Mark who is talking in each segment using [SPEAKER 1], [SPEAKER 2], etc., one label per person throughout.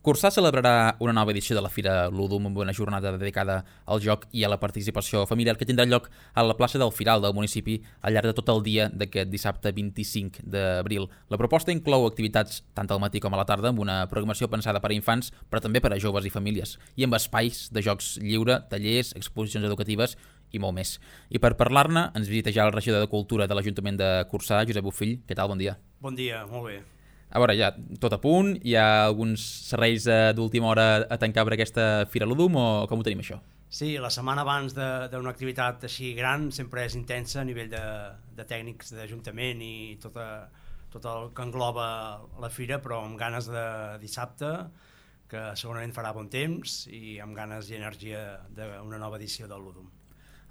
[SPEAKER 1] Cursà celebrarà una nova edició de la Fira Ludum amb una jornada dedicada al joc i a la participació familiar que tindrà lloc a la plaça del Firal del municipi al llarg de tot el dia d'aquest dissabte 25 d'abril. La proposta inclou activitats tant al matí com a la tarda amb una programació pensada per a infants però també per a joves i famílies i amb espais de jocs lliure, tallers, exposicions educatives i molt més. I per parlar-ne ens visita ja el regidor de Cultura de l'Ajuntament de Cursà, Josep Bofill. Què tal? Bon dia.
[SPEAKER 2] Bon dia, molt bé.
[SPEAKER 1] A veure, ja tot a punt, hi ha alguns serveis d'última hora a tancar per aquesta Fira Ludum o com ho tenim això?
[SPEAKER 2] Sí, la setmana abans d'una activitat així gran sempre és intensa a nivell de tècnics d'Ajuntament i tot el que engloba la Fira, però amb ganes de dissabte, que segurament farà bon temps i amb ganes i energia d'una nova edició del Ludum.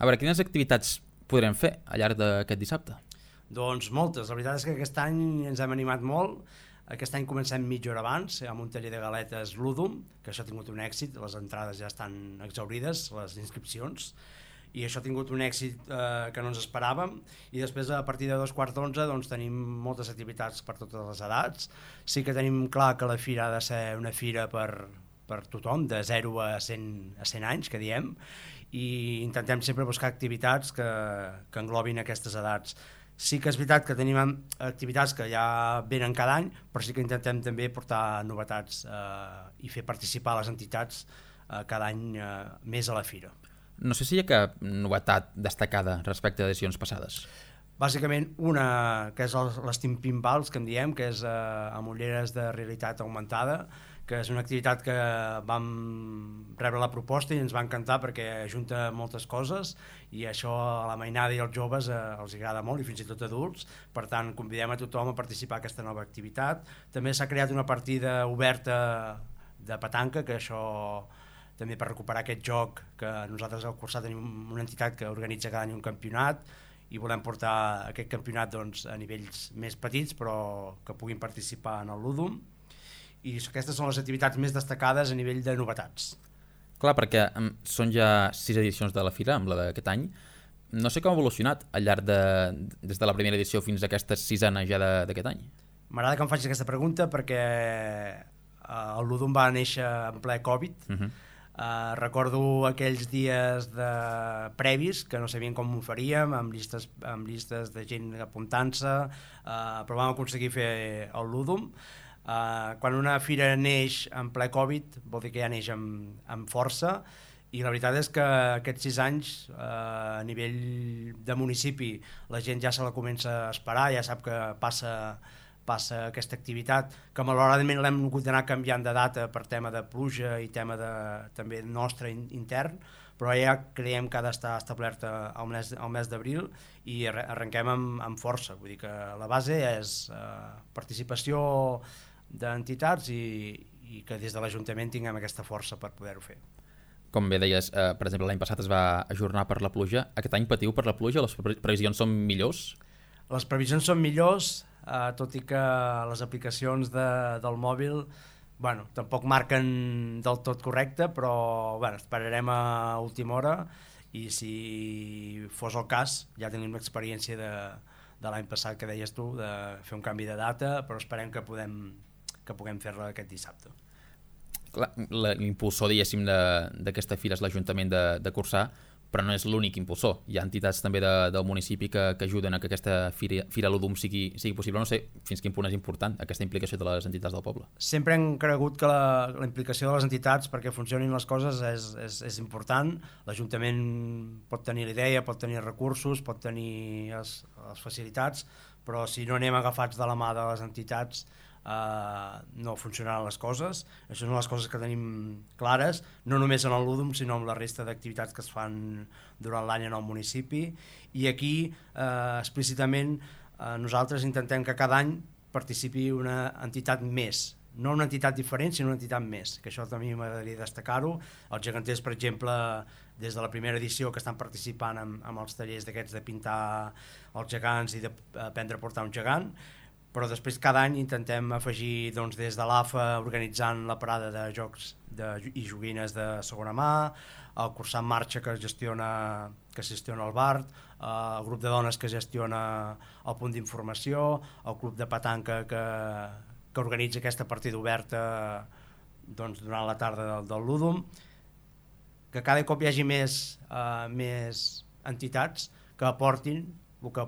[SPEAKER 1] A veure, quines activitats podrem fer al llarg d'aquest dissabte?
[SPEAKER 2] Doncs moltes, la veritat és que aquest any ens hem animat molt. Aquest any comencem mitja hora abans amb un taller de galetes Ludum, que això ha tingut un èxit, les entrades ja estan exhaurides, les inscripcions, i això ha tingut un èxit que no ens esperàvem, i després a partir de 11:15 doncs, tenim moltes activitats per totes les edats. Sí que tenim clar que la fira ha de ser una fira per tothom, de 0 a 100 anys, que diem, i intentem sempre buscar activitats que englobin aquestes edats. Sí que és veritat que tenim activitats que ja venen cada any, però sí que intentem també portar novetats i fer participar les entitats cada any més a la fira.
[SPEAKER 1] No sé si hi ha cap novetat destacada respecte a edicions passades.
[SPEAKER 2] Bàsicament una que és l'Steam Pinballs, que en diem, que és amb ulleres de realitat augmentada, que és una activitat que vam rebre la proposta i ens va encantar perquè ajunta moltes coses i això a la mainada i als joves els agrada molt i fins i tot adults, per tant convidem a tothom a participar en aquesta nova activitat. També s'ha creat una partida oberta de petanca, que això també per recuperar aquest joc, que nosaltres al Cursà tenim una entitat que organitza cada any un campionat i volem portar aquest campionat doncs, a nivells més petits però que puguin participar en el Ludum. I aquestes són les activitats més destacades a nivell de novetats.
[SPEAKER 1] Clar, perquè són ja 6 edicions de la Fira, amb la d'aquest any. No sé com ha evolucionat al llarg des de la primera edició fins a aquesta 6a ja d'aquest any.
[SPEAKER 2] M'agrada que em facis aquesta pregunta perquè el Ludum va néixer en ple Covid. Recordo aquells dies previs que no sabien com ho faríem, amb llistes de gent apuntant-se, però vam aconseguir fer el Ludum. Quan una fira neix en ple Covid vol dir que ja neix amb força i la veritat és que aquests 6 anys a nivell de municipi la gent ja se la comença a esperar, ja sap que passa aquesta activitat, que malauradament l'hem hagut d'anar canviant de data per tema de pluja i tema també nostre intern, però ja creiem que ha d'estar establerta al mes d'abril i arrenquem amb força, vull dir que la base és participació d'entitats i que des de l'Ajuntament tinguem aquesta força per poder-ho fer.
[SPEAKER 1] Com bé deies, per exemple, l'any passat es va ajornar per la pluja. Aquest any patiu per la pluja? Les previsions són millors?
[SPEAKER 2] Les previsions són millors, tot i que les aplicacions del mòbil tampoc marquen del tot correcte, però esperarem a última hora i si fos el cas ja tenim l'experiència de l'any passat que deies tu, de fer un canvi de data, però esperem que puguem fer-la aquest dissabte.
[SPEAKER 1] L'impulsor, diguéssim, d'aquesta fira és l'Ajuntament de Cursà, però no és l'únic impulsor. Hi ha entitats també del municipi que ajuden a que aquesta Fira Ludum sigui possible. No sé fins quin punt és important aquesta implicació de les entitats del poble.
[SPEAKER 2] Sempre hem cregut que la implicació de les entitats perquè funcionin les coses és important. L'Ajuntament pot tenir la idea, pot tenir recursos, pot tenir les facilitats, però si no anem agafats de la mà de les entitats no funcionaran les coses. Això són les coses que tenim clares, no només en el Ludum sinó en la resta d'activitats que es fan durant l'any en el municipi, i aquí explícitament nosaltres intentem que cada any participi una entitat més, no una entitat diferent sinó una entitat més, que això també m'agradaria destacar-ho. Els geganters, per exemple, des de la primera edició que estan participant amb els tallers d'aquests de pintar els gegants i d'aprendre a portar un gegant, però després cada any intentem afegir des de l'AFA organitzant la parada de jocs i joguines de segona mà, el Cursà en Marxa que gestiona el BART, el grup de dones que gestiona el punt d'informació, el club de petanca que organitza aquesta partida oberta doncs, durant la tarda del Ludum, que cada cop hi hagi més entitats que aportin el que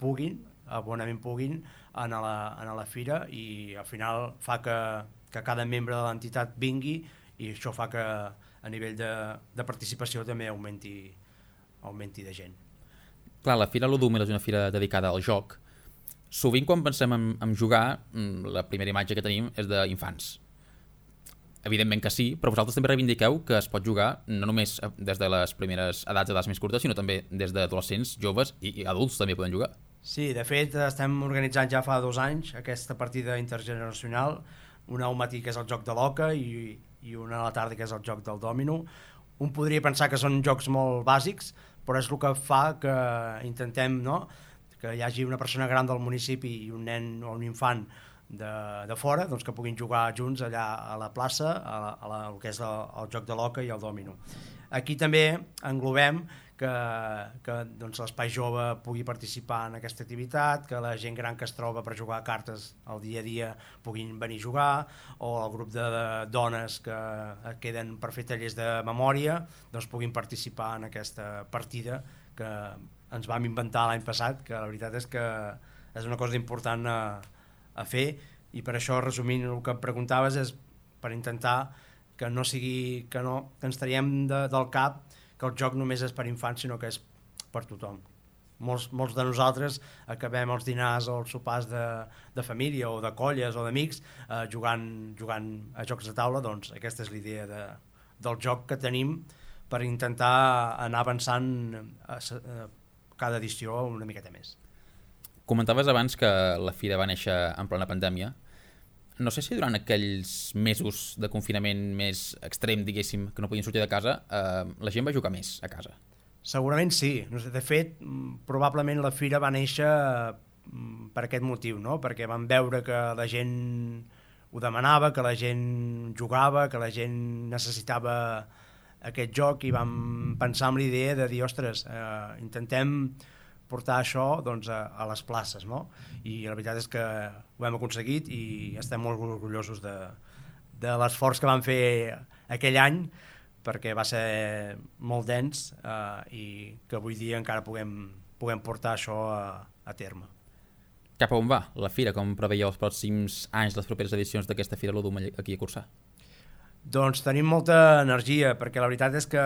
[SPEAKER 2] puguin, bonament puguin, a la fira, i al final fa que cada membre de l'entitat vingui, i això fa que a nivell de participació també augmenti de gent.
[SPEAKER 1] Clar, la Fira Ludum és una fira dedicada al joc. Sovint quan pensem en jugar, la primera imatge que tenim és d'infants. Evidentment que sí, però vosaltres també reivindiqueu que es pot jugar no només des de les primeres edats més curtes, sinó també des d'adolescents, joves i adults també poden jugar.
[SPEAKER 2] Sí, de fet estem organitzant ja fa 2 anys aquesta partida intergeneracional, una al matí que és el joc de l'oca i una a la tarda que és el joc del dòmino. Un podria pensar que són jocs molt bàsics, però és el que fa que intentem, no?, que hi hagi una persona gran del municipi i un nen o un infant de fora, doncs que puguin jugar junts allà a la plaça, el que és el joc de l'oca i el dòmino. Aquí també englobem que doncs, l'espai jove pugui participar en aquesta activitat, que la gent gran que es troba per jugar a cartes al dia a dia puguin venir a jugar, o el grup de dones que queden per fer tallers de memòria doncs puguin participar en aquesta partida que ens vam inventar l'any passat, que la veritat és que és una cosa important a fer, i per això, resumint el que em preguntaves, és per intentar que no sigui que ens traiem del cap que el joc només és per infants, sinó que és per tothom. Molts de nosaltres acabem els dinars o els sopars de família o de colles o d'amics jugant a jocs de taula. Doncs aquesta és l'idea del joc que tenim per intentar anar avançant cada edició una miqueta més.
[SPEAKER 1] Comentaves abans que la fira va néixer en plena pandèmia. No sé si durant aquells mesos de confinament més extrem, diguéssim, que no podien sortir de casa, la gent va jugar més a casa.
[SPEAKER 2] Segurament sí. De fet, probablement la fira va néixer per aquest motiu, no? Perquè vam veure que la gent ho demanava, que la gent jugava, que la gent necessitava aquest joc, i vam pensar en l'idea de dir, ostres, intentem portar això doncs, a les places, no? I la veritat és que ho hem aconseguit i estem molt orgullosos de l'esforç que vam fer aquell any, perquè va ser molt dens i que avui dia encara puguem portar això a terme.
[SPEAKER 1] Cap a on va la fira? Com preveieu els pròxims anys, les properes edicions d'aquesta Fira Ludum aquí a Corçà?
[SPEAKER 2] Doncs tenim molta energia, perquè la veritat és que,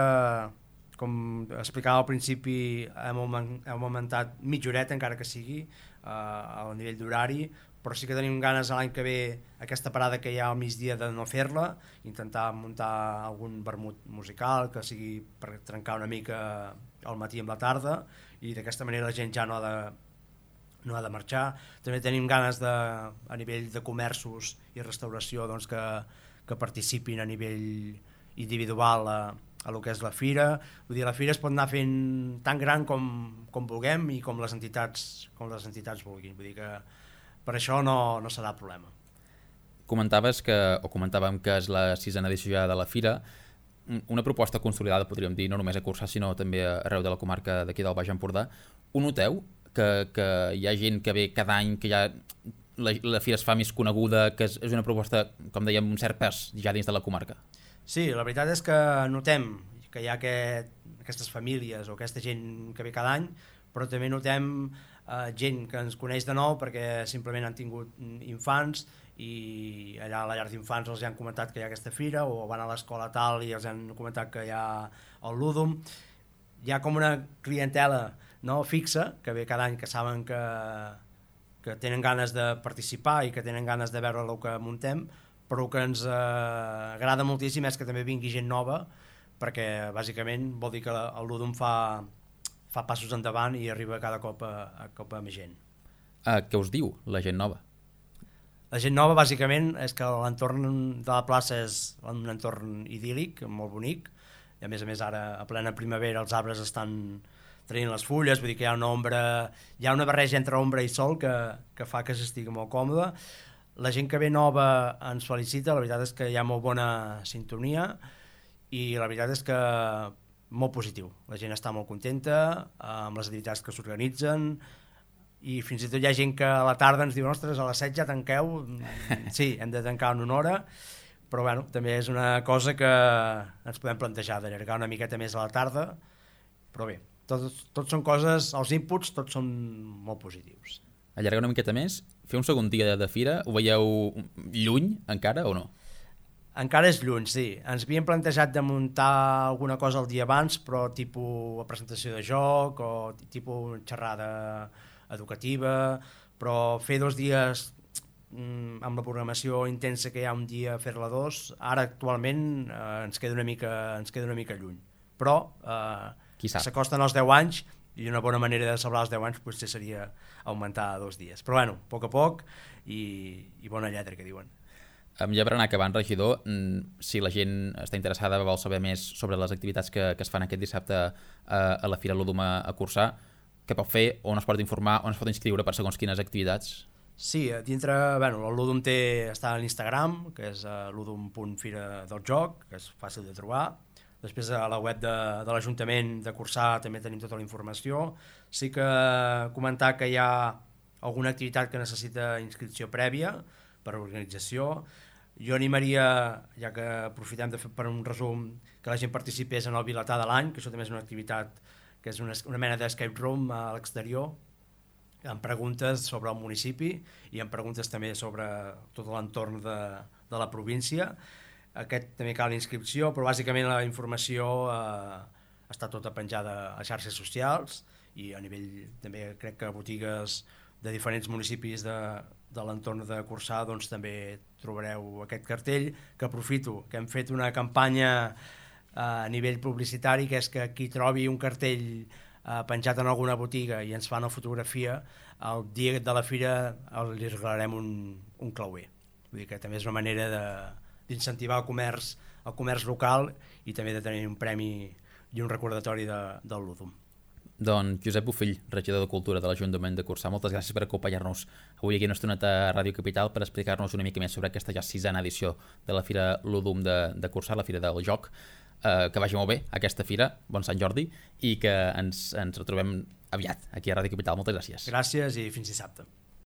[SPEAKER 2] com explicava al principi, hem augmentat mitja horeta, encara que sigui, al nivell d'horari, però sí que tenim ganes l'any que ve, aquesta parada que hi ha al migdia, de no fer-la, intentar muntar algun vermut musical que sigui per trencar una mica al matí amb la tarda, i d'aquesta manera la gent ja no ha de marxar. També tenim ganes a nivell de comerços i restauració doncs, que participin a nivell individual a el que és la fira. Vull dir, la fira es pot anar fent tan gran com vulguem i com les entitats vulguin. Vull dir que per això no serà problema.
[SPEAKER 1] Comentàvem que és la 6a edició ja de la fira, una proposta consolidada, podríem dir, no només a Corçà, sinó també arreu de la comarca d'aquí del Baix Empordà. Ho noteu? Que hi ha gent que ve cada any, que ja la fira es fa més coneguda, que és una proposta, com dèiem, un cert pes ja dins de la comarca?
[SPEAKER 2] Sí, la veritat és que notem que hi ha aquestes famílies o aquesta gent que ve cada any, però també notem gent que ens coneix de nou perquè simplement han tingut infants i allà a la llar d'infants els han comentat que hi ha aquesta fira, o van a l'escola tal i els han comentat que hi ha el Ludum. Hi ha com una clientela fixa que ve cada any, que saben que tenen ganes de participar i que tenen ganes de veure el que muntem, però el que ens agrada moltíssim és que també vingui gent nova, perquè bàsicament vol dir que el Ludum fa passos endavant i arriba cada cop a més gent.
[SPEAKER 1] Què us diu la gent nova?
[SPEAKER 2] La gent nova bàsicament és que l'entorn de la plaça és un entorn idíl·lic, molt bonic, i a més ara a plena primavera els arbres estan traient les fulles, vull dir que hi ha una barreja entre ombra i sol que fa que s'estigui molt còmode. La gent que ve nova ens felicita, la veritat és que hi ha molt bona sintonia i la veritat és que molt positiu. La gent està molt contenta amb les activitats que s'organitzen i fins i tot hi ha gent que a la tarda ens diu, ostres, a les 7 ja tanqueu? Sí, hem de tancar en una hora, però bueno, també és una cosa que ens podem plantejar d'allargar una miqueta més a la tarda, però bé, tots són coses, els inputs tots són molt positius.
[SPEAKER 1] Allargar una miqueta més, fer un segon dia de fira, ho veieu lluny encara o no?
[SPEAKER 2] Encara és lluny, sí. Ens havíem plantejat de muntar alguna cosa el dia abans, però tipus presentació de joc o tipus xerrada educativa, però fer 2 dies amb la programació intensa que hi ha un dia, fer-la 2, ara actualment ens queda una mica lluny. Però s'acosten els 10 anys i una bona manera de celebrar els 10 anys potser seria augmentar a 2 dies. Però bueno, a poc i bona lletra, que diuen.
[SPEAKER 1] Ja per anar acabant, regidor, si la gent està interessada, vol saber més sobre les activitats que es fan aquest dissabte a la Fira Ludum a Corçà, què pot fer, on es pot informar, on es pot inscriure per segons quines activitats?
[SPEAKER 2] Sí, dintre, bueno, el Ludum està a l'Instagram, que és ludum.fira del joc, que és fàcil de trobar. Després a la web de l'Ajuntament de Corçà també tenim tota la informació. Sí que comentar que hi ha alguna activitat que necessita inscripció prèvia per organització. Jo animaria, ja que aprofitem de fer per un resum, que la gent participés en el Vilatà de l'any, que això també és una activitat que és una mena d'escape room a l'exterior, amb preguntes sobre el municipi i amb preguntes també sobre tot l'entorn de la província. Aquest també cal inscripció, però bàsicament la informació està tota penjada a xarxes socials i a nivell també crec que botigues de diferents municipis de l'entorn de Corçà doncs també trobareu aquest cartell, que aprofito, que hem fet una campanya a nivell publicitari, que és que qui trobi un cartell penjat en alguna botiga i ens fa una fotografia, el dia de la fira li regalarem un clauer. Vull dir que també és una manera d'incentivar el comerç local i també de tenir un premi i un recordatori del Ludum.
[SPEAKER 1] Doncs Josep Bofill, regidor de Cultura de l'Ajuntament de Corçà, moltes gràcies per acompanyar-nos avui aquí una estoneta a Ràdio Capital per explicar-nos una mica més sobre aquesta ja 6a edició de la Fira Ludum de Corçà, la Fira del Joc. Que vagi molt bé aquesta fira, bon Sant Jordi, i que ens retrobem aviat aquí a Ràdio Capital. Moltes gràcies.
[SPEAKER 2] Gràcies i fins dissabte.